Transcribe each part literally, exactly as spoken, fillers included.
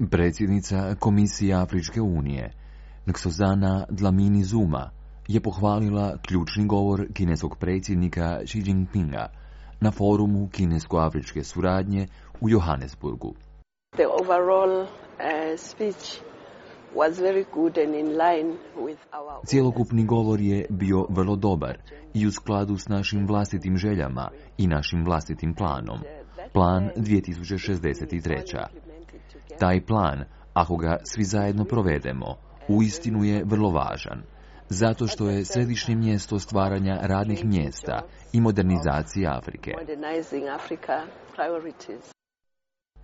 Predsjednica Komisije Afričke unije, Nkosazana Dlamini Zuma, je pohvalila ključni govor kineskog predsjednika Xi Jinpinga na forumu kinesko-afričke suradnje u Johannesburgu. The overall uh, speech was very good and in line with our... Cjelokupni govor je bio vrlo dobar i u skladu s našim vlastitim željama i našim vlastitim planom. Plan dvije tisuće šezdeset tri. Taj plan, ako ga svi zajedno provedemo, uistinu je vrlo važan, zato što je središnje mjesto stvaranja radnih mjesta i modernizacije Afrike.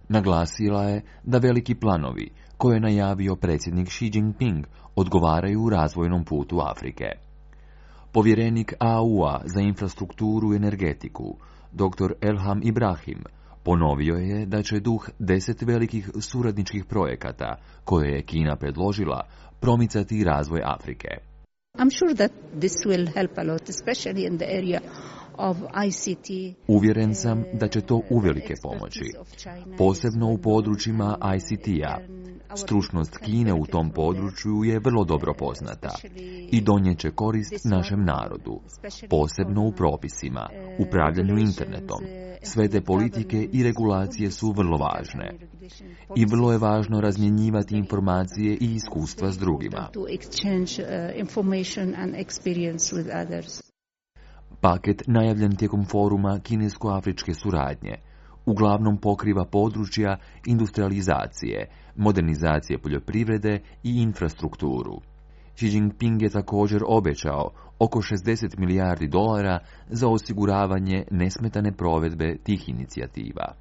Naglasila je da veliki planovi, koje je najavio predsjednik Xi Jinping, odgovaraju u razvojnom putu Afrike. Povjerenik A U-a za infrastrukturu i energetiku, doktor Elham Ibrahim, ponovio je da će duh deset velikih suradničkih projekata, koje je Kina predložila, promicati razvoj Afrike. I'm sure that this will help a lot, especially in the area of I C T. Uvjeren sam da će to uvelike pomoći, posebno u područjima I C T-a. Stručnost Kine u tom području je vrlo dobro poznata i donijet će korist našem narodu, posebno u propisima, upravljanju internetom. Sve te politike i regulacije su vrlo važne i vrlo je važno razmjenjivati informacije i iskustva s drugima. Paket najavljen tijekom foruma kinesko-afričke suradnje uglavnom pokriva područja industrializacije, modernizacije poljoprivrede i infrastrukturu. Xi Jinping je također obećao oko šezdeset milijardi dolara za osiguravanje nesmetane provedbe tih inicijativa.